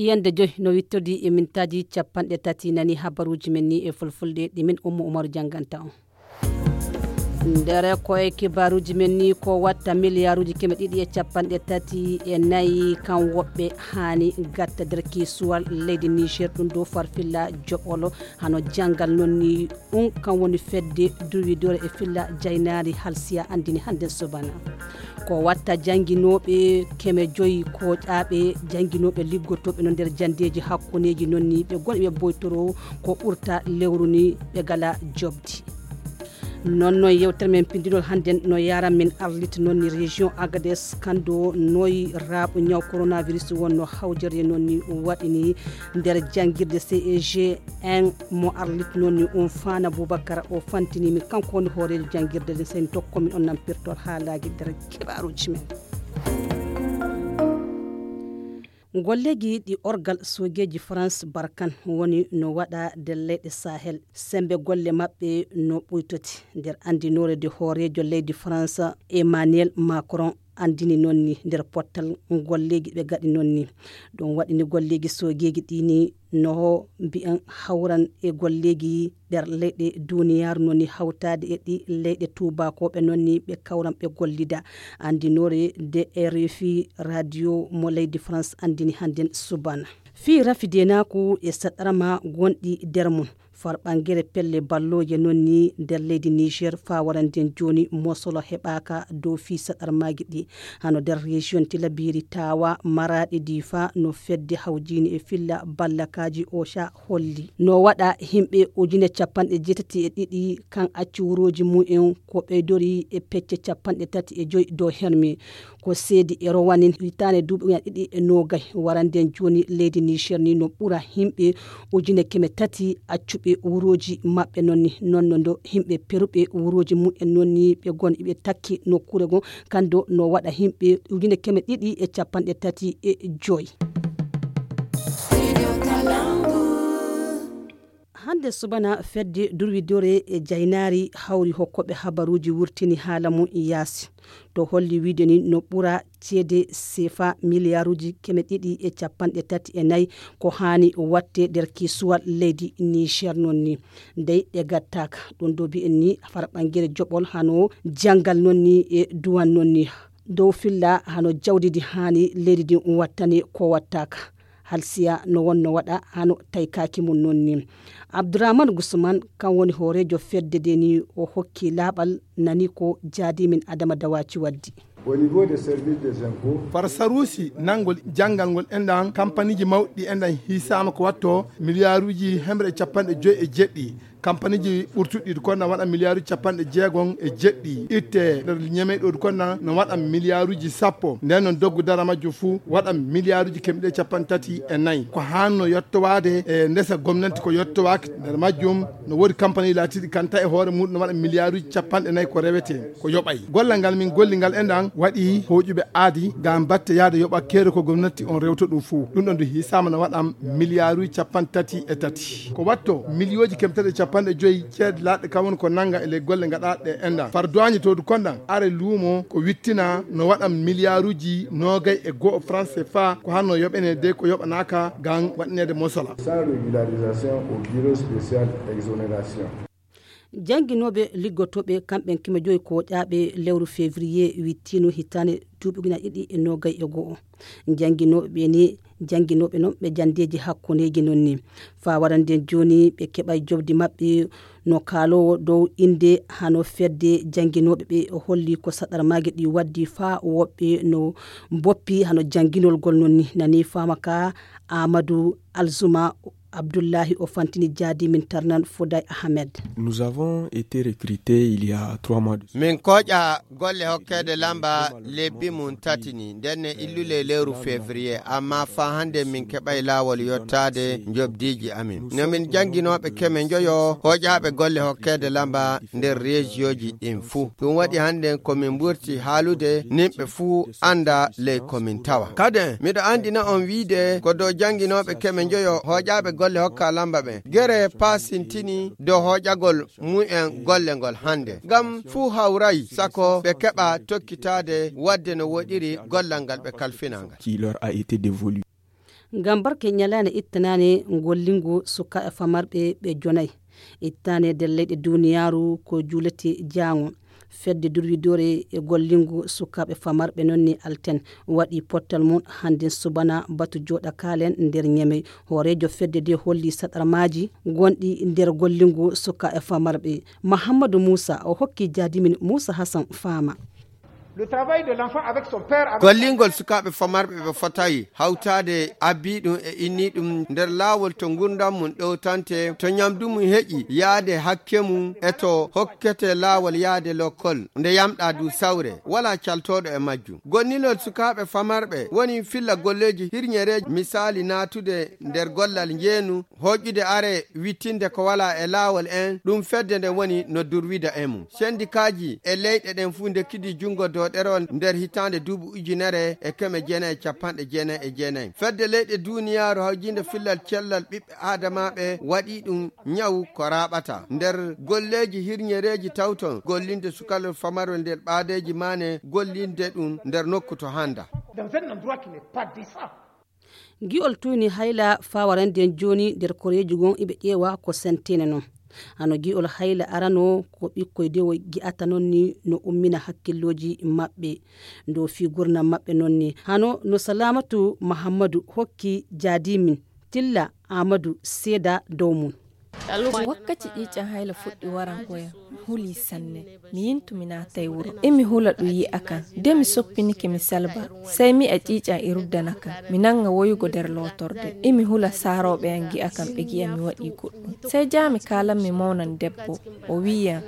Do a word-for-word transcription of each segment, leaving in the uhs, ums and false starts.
Yande joy no wittodi e mintaaji capanɗe tati nani habaruuji men ni e fulfulde ɗi min Ummu Umaru jannganta on. Nder koye kibaaruuji men ni, ko watta miliyaaruuji keme ɗiɗi e capanɗe tati e nayi kan woɓɓe haani gatta nder kiisuwal leydi Niger, ɗum dow farfilla joɓolo hano janngal non ni. Ɗum kan woni fedde durwidore e filla jaynaari halsiya anndini hannden subana. Ko watta jannginooɓe keme joyi koƴaaɓe jannginooɓe liggotooɓe no nder janndeeji hakkuneeji non ni ɓe goni ɓe boytoro ko ɓurta lewru ni ɓe gala jobdi. Non non yewtere men pindinol hannden no yaran min arlit non ni région Agadez kando noyi raaɓo ñaw coronavirus wonno hawjere non ni waɗini nder janngirde C E G un mo arlit non ni um faana Boubacar o fantini mi kanko woni hooreejo janngirde nden seni tokko min on nan pirtol haalaaji nder kibaaruuji men. Golleeji ɗi orgal soogeeji France Barkan woni no waɗa nder leyɗe Sahel, sembe golle maɓɓe no ɓuytoti nder anndinoore de hooreejo leydi France Emmanuel Macron anndini non ni nder pottal golleeji ɓe gaɗi non ni. Ɗum waɗini golleeji soogeeji ɗi ni no mbi'en hawran e golleeji nder leyɗe duniyaaru non ni hawtaade e ɗi leyɗe tuubakooɓe non ni ɓe kawran ɓe gollida. Anndinoore de R F I radio mo leydi France anndini hannden subana. Fii rafidenaku e saɗarma gonɗi nder mum, farɓangere pelle ballooje non ni nder leydi Niger faa waranden jooni mosolo heɓaaka dow fii saɗarmaaji ɗi. Hano nder région Tilabiri, Tawa, Maraɗi, Difa no fedde hawjini e filla ballakaaji OCHA holli. No waɗa himɓe ujune capanɗe jeetati e ɗiɗi kan acci wurooji mumen ko ɓeydori e pecce capanɗe tati e joyi dow hermi. Ko seedi e rowanin hitaande duuɓi ujunaaji ɗiɗi e noogay waranden jooni leydi Niger ni no ɓura himɓe ujune keme tati accuɓe wurooji maɓɓe non ni. Non no ndo himɓe peruɓe wurooji mumen non ni ɓe gon iɓe takki nokkuure gon kando no waɗa himɓe ujune keme ɗiɗi e capanɗe tati e joyi. Hande subana fedde durwidore e jaynaari hawri hokkoɓe habaruuji wurtini haala mum yaasi. To holli wiide ni no ɓura ceede sefa miliyaaruuji keme ɗiɗi e capanɗe tati e nayi ko haani watte nder kiisuwal leydi Niger non ni. Ndey ɗe gattaaka. Ɗum ɗo mbi'en ni farɓangere joɓol hano janngal non ni e duwan non ni. Dow filla hano jawdi ndi haani leydi ndin wattane ko wattaaka. Halsiya no wonno waɗa hano taykaaki mum non ni. Abdourahmane Gusman kan woni hooreejo fedde nde ni o hokki laaɓal nani ko jaadimin Adama Dawaci waddi. Au niveau des services des impôts. Far saruusi nanngol janngal ngol enɗan kampaniiji mawɗi enɗan hiisaama ko watto miliyaaruuji hemre e capanɗe joyi e jeɗɗi. Kampaniiji ɓurtuɗi ɗi konna waɗa miliyaaruuji capanɗe jeegom e jeɗɗi. Itte nder ñemey ɗo ɗi konna no waɗa miliyaaruuji sappo. Nden noon doggu dara majjum fuu waɗa miliyaaruuji kemɗe capanɗe tati e nayi. Ko haanno yettowaade e ndesa gomnanti ko yettowaaki. Nder majjum no woodi kampani laatiiɗi kanta e hoore muɗum no waɗa miliyaaruuji capanɗe nayi ko rewetee. Ko yoɓay. Gollal ngal min golli ngal enɗan waɗi hooƴuɓe aadi ngam batte yaade yoɓa keere ko gomnati on rewta ɗum fuu. Ɗum ɗon du hiisaama no waɗa miliyaaruuji capanɗe tati e tati. Ko watto miliyooji kemtati e capanɗe joyi ceede laaɗe kam woni ko nannga e ley golle gaɗaaɗe enɗan. Far duwaañe to du konɗan are luumo ko wittina no waɗa miliyaaruuji noogay e go'o franc C F A ko hanno yoɓene de ko yoɓanaaka ngam waɗineede mosola. Sans régularisation au bureau spécial exonération. Jannginooɓe liggotooɓe kamɓen keme joyi koƴaaɓe lewru février wittino hitaande duuɓi ujunaaji ɗiɗi e noogay e go'o. Jannginooɓe ɓe ni jannginooɓe non ɓe janndeeji hakkundeeji non ni. Faa warande jooni ɓe keɓay jobdi maɓɓe no kaaloowo dow innde hano fedde jannginooɓe ɓe holli ko saɗarmaaji ɗi waddi faa woɓɓe no mboppi hano jannginolgol non ni. Nani faama ka Amadou Alzuma Abdullahi o fantini jaadi min tarnan Foday Ahmed. Nous avons été recrutés il y a trois mois de cela. Min koƴa golle hokkeede lamba lebbi mum tati ni ndenne illule lewru février amma faa hannde min keɓay laawol yottaade njobdiiji amin. No min jannginooɓe keme njoyo hoƴaaɓe golle hokkeede lamba nder reejiyooji ɗin fuu. Ɗum waɗi hannden ko min mburti haalude nimɓe fuu annda ley ko min tawa. Kaden miɗo anndina on wiide ko dow jannginooɓe keme njoyo hoƴaaɓe golle hokka lamba ɓen gere paasintini dow hoƴagol mumen golle ngol hannde ngam fuu hawray sako ɓe keɓa tokkitaade waɗde no woɗiri gollal ngal ɓe kalfinaa ngal. Qui leur a été dévolu. Ngam barke ñalaande ittanaane gollingo sukaaɓe famarɓe ɓe jonayi ittaane nder leyɗe duniyaaru ko juulete jaango. Fedde durwidoore e gollingo sukaaɓe famarɓe noon ni alten waɗi pottal mum hannde subana batu jooɗa kaalen nder ñemey. Hooreejo fedde nde holli saɗarmaaji gonɗi nder gollingo sukaaɓe famarɓe. Mahammadu Muusa o hokki jaadimin Muusa Hasan faama. Gollingol sukaaɓe famarɓe ɓe fotayi hawtaade abbi ɗum e inni ɗum nder laawol to ngurdam mum ɗowtante, to ñamdu mum heƴi yaade hakke mum e to hokkete laawol yaade lokkol nde yamɗa du sawre wala caltooɗo e majjum. Gonnilol sukaaɓe famarɓe woni filla golleeji hirñereeji, misaali naatude nder gollal njeenu, hoƴƴude are wittinde ko wala e laawol en, ɗum fedde nde woni no durwida e mum. Sendikaaji e leyɗe ɗen fuu ndekkidi junngo dow ɗerewol nder hitaande duuɓi ujunere e keme jeenayi e capanɗe jeenayi e jeenayi. Fedde leyɗe duuniyaaru hawjinde fillal cellal ɓiɓɓe aadamaaɓe waɗi ɗum ñawu ko raaɓata nder golleeji hirñereeji tawton gollinde sukalol famarol nder ɓaadeeji maane gollinde ɗum nder nokku to hannda. Gi'ol tuyni hayla fawarande jooni nder koreeji gon iɓe ƴeewa ko sentene non. Hano gi'ol hayla arano ko ɓikkoy dewo gi'ata non ni no ummina hakkillooji maɓɓe dow fii gurnam maɓɓe non ni. Hano no Salamatu Mahammadu hokki jaadimin Tilla Amadu seeda dow mum. Wakkati ƴiiƴan hayla fuɗɗi warangoyam, mi huli sanne. Mi yintu mi naatay wuro. Imi hula ɗum yi'a kan. De mi soppinike mi salba. Sey mi'a ƴiiƴan e ruddana kan. Mi nanga woyugo nder lootorde. Imi hula saarooɓe an gi'a kan ɓe gi'a mi waɗi goɗɗum. Sey jaami kaalan mi mawnan debbo. O wi'iyam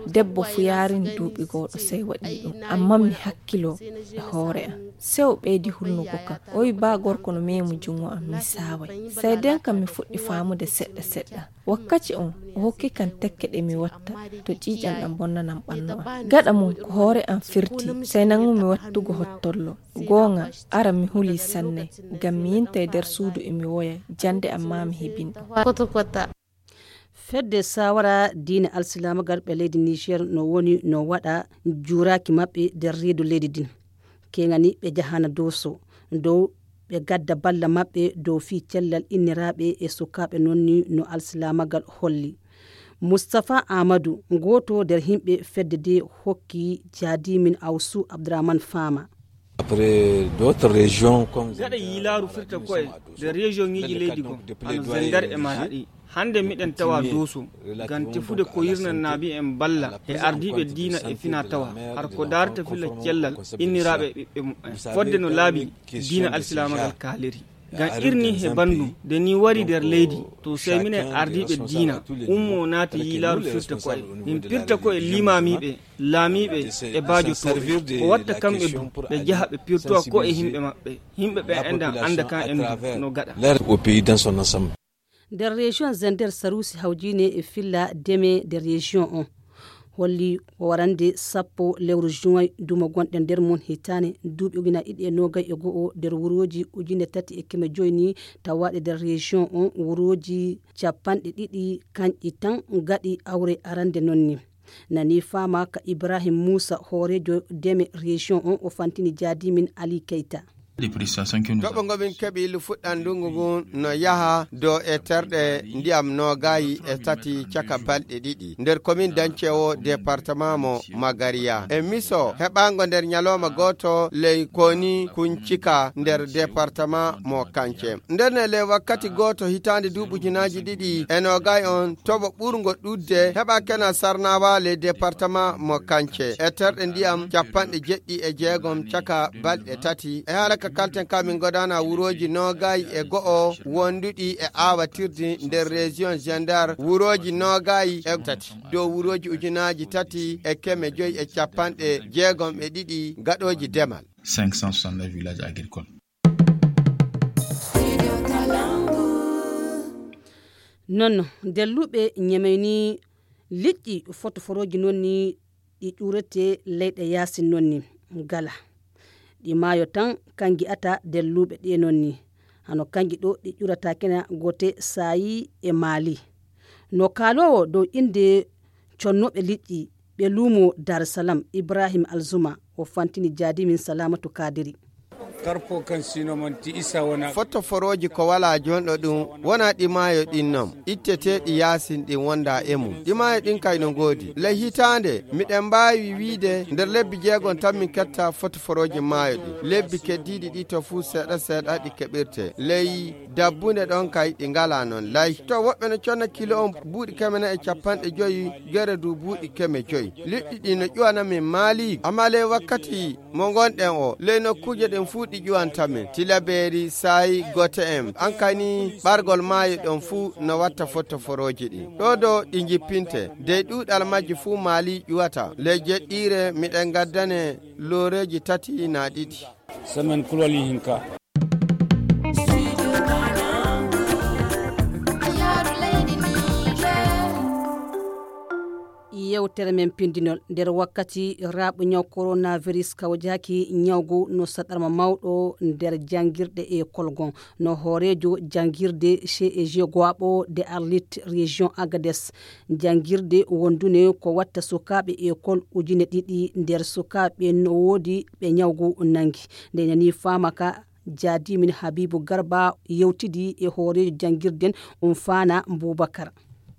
debbo fu yaarini duuɓi gooɗo sey waɗi ɗum. Ammaa mi hakkilo e hoore an. Sey o ɓeydi hulnugo kan. O wi'i baa gorko no meemu jungo am mi saaway. Sey den kam mi fuɗɗi faamude seɗɗa seɗɗa. Wakkati on o hokki kan tekke ɗe mi watta to ƴiiƴan ɗan bonnanan ɓannu an. Gaɗa mum ko hoore an firti, sey nangumi wattugo hottollo. Goonga, ara mi huli sanne, ngam mi yintay nder suudu e mi woya, jande ammaa mi heɓin ɗum. Fedde sawara diina alsilaamagal ɓe leydi Niger no woni no waɗa juuraaki maɓɓe nder reedu leydi din. Keŋani ɓe jahana Dooso dow ɓe gadda balla maɓɓe dow fii cellal inniraaɓe e sukaaɓe non ni no alsilaamagal holli. Mustapha Amadou, gooto nder himɓe fedde de hokki jaadimin Awsu Abdourahmane Fama. Gaɗa yiilaaru firta ko'e nder region ŋiji leydi kon, hano Zender e Maraɗi. Hande miɗen tawa Dooso, ngam tefude ko yirnan naabi en balla e ardiiɓe diina e fina tawa, har ko daarta filla cellal inniraaɓe e ɓiɓɓe muɓɓen. Fodde no laabi diina alsilaamagal kaaliri. Ngam irni he banndum, nde ni wari nder leydi, to sey minen ardiiɓe diina, ummo naati yiilaaru firta ko'e. Min pirta ko'e liimaamiiɓe, laamiiɓe e baajo tooɓe. O watta kamɓe du, ɓe jaha ɓe pirtowa ko'e himɓe maɓɓe. Himɓe ɓe endan annda kan en du no gaɗa. Nder région Zender, saruusi hawjiine e filla deme nder région on holli ko warande sappo lewru juin dumo gonɗe nder mum hitaane duuɓi ujunaaji ɗiɗi e noogay e go'o nder wurooji ujine tati e keme joy ni tawaaɗe nder région on, wurooji capanɗe ɗiɗi kanƴi tan gaɗi awre arande non ni. Nani faama ka Ibrahim Muusa, hooreejo deme région on, o fantini jaadimin Ali Keyta. Toɓo ngo min keɓi lufuɗɗan ndungu ngun no yaha dow e terɗe ndiyam noogayi e tati caka balɗe ɗiɗi nder komin dancewo département mo Magariya e miso heɓango nder ñalawma gooto ley koni kuncika nder département mo Kance. Nder ne ley wakkati gooto hitaande duuɓi ujunaaji ɗiɗi e noogayi on toɓo ɓurngo ɗuɗde heɓa kena sarnawa ley département mo Kance e terɗe ndiyam capanɗe jeɗɗi e jeegom caka balɗe tati. E haala ka kalten ka min godana wurooji noogayi e go'o wonduɗi e aawatirdi nder région Gendar, wurooji noogayi e tati dow wurooji ujunaaji tati e keme joyi e capanɗe jeegom e ɗiɗi gaɗooji demal. Cinq cent soixante-neuf villages agricoles. Non, delluɓe ñemeyni liƴƴi fotoforooji non ni ɗi ƴuurete leyɗe yaasin non ni gala. Ɗi maayo tan kan ngi'ata delluɓe ɗe non ni. Hano kanji ɗo ɗi ƴuurata kena goote saayi e Maali. No kaaloowo dow innde connooɓe liƴƴi ɓe luumo Dar Salam, Ibrahim Alzuma, o fantini jaadimin Salamatu Kadiri. Karpo kan sino manti isa wona. Fotoforooji ko walaa jonɗo ɗum, wonaa ɗi maayo ɗin non. Itteteeɗi yaasin ɗin wondaa e mum. Ɗi maayo ɗin kay no ngoodi. Ley hitaande, miɗen mbaawi wiide nder lebbi jeegon tan min ketta fotoforooji maayo ɗin. Lebbi keddiiɗi ɗi to fuu seeɗa seeɗa ɗi keɓirtee. Ley dabbunde ɗon kay ɗi ngalaa non lay. To woɓɓe no conna kilo on buuɗi keme nayi e capanɗe joyi, gere du buuɗi keme joyi. Liɗɗi ɗi no ƴuwana min maali, amma ley wakkati mo ngonɗen o, ley nokkuuje ɗen fuu ɗi ƴuwanta min. Tilabeeri, saayi, gote en. An kay ni ɓargol maayo ɗon fuu no watta fotoforooji ɗin. Ɗo do ɗi njippinte. Dey ɗuuɗal majji fuu maali ƴuwata. Ley jeɗɗiire miɗen ngaddane looreeji tati naa ɗiɗi. Semaine kulol hinka. Yewtere men pindinol. Nder wakkati raaɓo ñaw coronavirus kawjaaki ñawgu no saɗarma mawɗo nder janngirɗe e kolgon. No hooreejo janngirde C E G Goaɓo de Arlit Région Agades. Janngirde wondune ko watta sukaaɓe ekol ujine ɗiɗi nder sukaaɓe no woodi ɓe ñawgu nanngi. Nde nani faama ka jaadimin Habibu Garba yewtidi e hooreejo janngirden um faana Bubakar.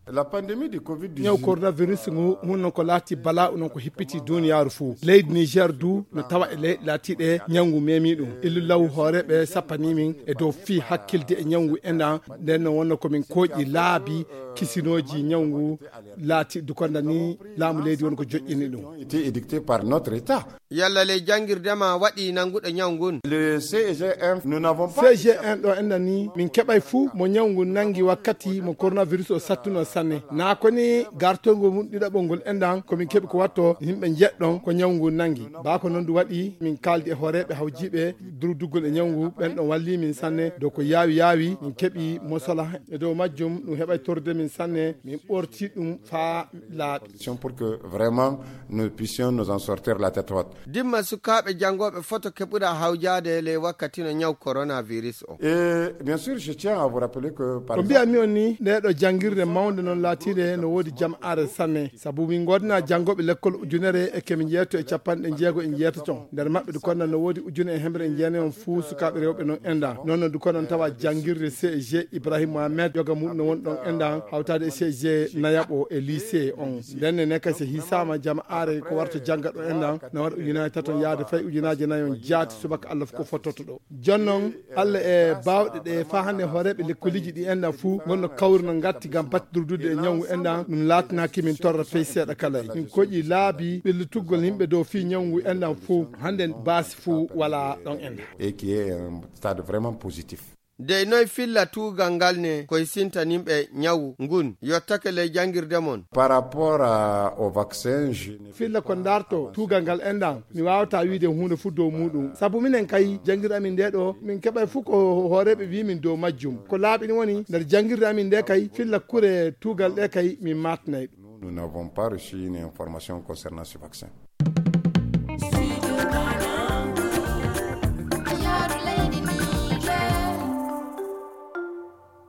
La pandémie du covid dix-neuf. Ñaw coronavirus ngu mun non ko laati bala'u non ko hippiti duniyaaru fuu. Leydi Niger du no tawa e leyɗe laatiiɗe ñawngu memi ɗum. Illu law hooreeɓe sappani min e dow fii hakkilde e ñawngu enɗan. Nden no wonno ko min kooƴi laabi kisinooji ñawngu laati dukonda ni laamu leydi won ko joƴƴini ɗum. Été édicté par notre État. Yalla ley janngirde ma waɗi nannguɗo ñaw ngun? Le C G M, nous n'avons pas C G M ɗo enɗan ni, min keɓay fuu mo ñaw ngun nanngi wakkati mo coronavirus o sattuno sanne. Naa ko ni gartol ngol mun ɗiɗaɓol ngol enɗan, ko min keɓi ko watto yimɓe njeɗɗon ko ñaw ngun nanngi. Baa ko non du waɗi, min kaaldi e hooreeɓe hawjiiɓe durduggol e ñaw ngu, ɓen ɗon walli min sanne. Dow ko yaawi yaawi, min keɓi mosola e dow majjum, ɗum heɓay torde min sanne, min ɓorti ɗum faa laaɓi. Pour que vraiment nous puissions nous en sortir la tête haute. Dimma sukaaɓe janngooɓe foto keɓuɗa hawjaade ley wakkati no ñaw coronavirus o. Et bien sûr, je tiens à vous rappeler que par Ko exemple, mbiyanmi on ni, nde ɗo janngirde mawnde non laatiinde no woodi jam'aare sanne. Sabu min ngoodna janngooɓe lekkol ujunere e kemi njeeto e capanɗe jeego e njeetato. Nder maɓɓe ɗi konna no woodi ujune e hemre e jeenayon fuu sukaaɓe rewɓe non enɗan. Non no ɗi konna tawa janngirde C G Ibrahim Mohamed, yoga muɗum no woni ɗon enɗan, hawtaade e C G nayaɓo e lycée on. Nden ne kay so hisaama jama'aare ko warta jannga ɗo enɗan, no waɗa ujunaaji tato yaade fay ujunaaji nayon jaati subaka Allah fof ko fottoto ɗo. Jonnon, Allah e baawɗe ɗe faa hannde hooreeɓe lekkoliji ɗi enɗan fuu ngonno kawri no ngatti ngam batte durdude e ñawngu enɗan, ɗum laatanaaki min torra fey seeɗa kala. Min koƴi laabi ɓellitugol yimɓe dow fii ñawngu enɗan fuu, hannde baasi fuu walaa ɗon enɗan. Et qui est un stade vraiment positif. Dey noy filla tuugal ngal ne koy sintanimɓe ñawu ngun yottake ley janngirde mon? Par rapport à, au vaccin, je ne Filla ko ndarto tuugal ngal enɗan, mi waawataa wiide huunde fuu dow muuɗum. Sabu minen kay, janngirde amin nde ɗo, min keɓay fuu ko hooreeɓe wi'i min dow majjum. Ko laaɓi ni woni, nder janngirde amin nde kay, filla kure tuugal ɗe kay, min maatnay ɗum. Nous, nous n'avons pas reçu une information concernant ce vaccin.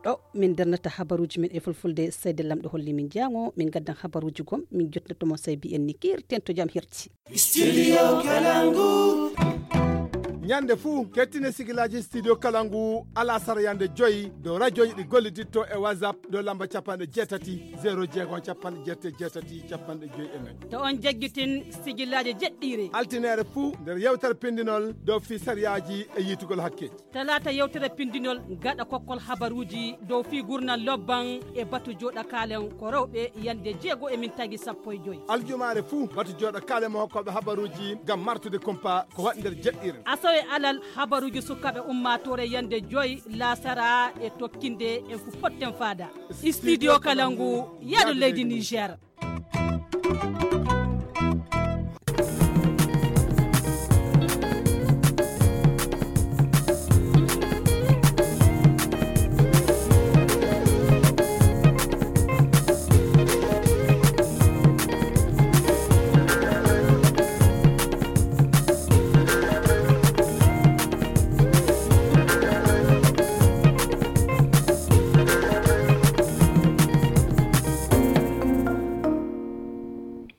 Ɗo min darnata habaruuji men e fulfulde, seyde Lamɗo holli min jaango, min gaddan habaruuji gom, min jottinoto mo sey mbiyen ni kiirten to jam hirti. Studio Kalangu. Ñande fuu, kettine sigilaaji Studio Kalangu, alasara yande joyi, dow radiooji ɗi golliditto e WhatsApp, dow lamba capanɗe jeetati, zéro jeego, capanɗe jeetati, capanɗe joyi e nayi. To on jaggitin sigilaaji jeɗɗiire. Altineere fuu, nder yewtere pindinol, dow fii sariyaaji e yiitugol hakke. Talaata yewtere pindinol gaɗa kokkol habaruuji dow fii gurnal lobban e batu jooɗa kaalen ko rewɓe yande jeego e min tagi sappo e joyi. Aljumaare fuu batu jooɗa kaalen mo hokkooɓe habaruuji ngam martude kumpa ko waɗi nder jeɗɗiire. Asawe alal habaruuji sukaaɓe ummaatoore yande joyi laasara e tokkinde en fu potten faada. Studio Kalangu, yaadu leydi Niger.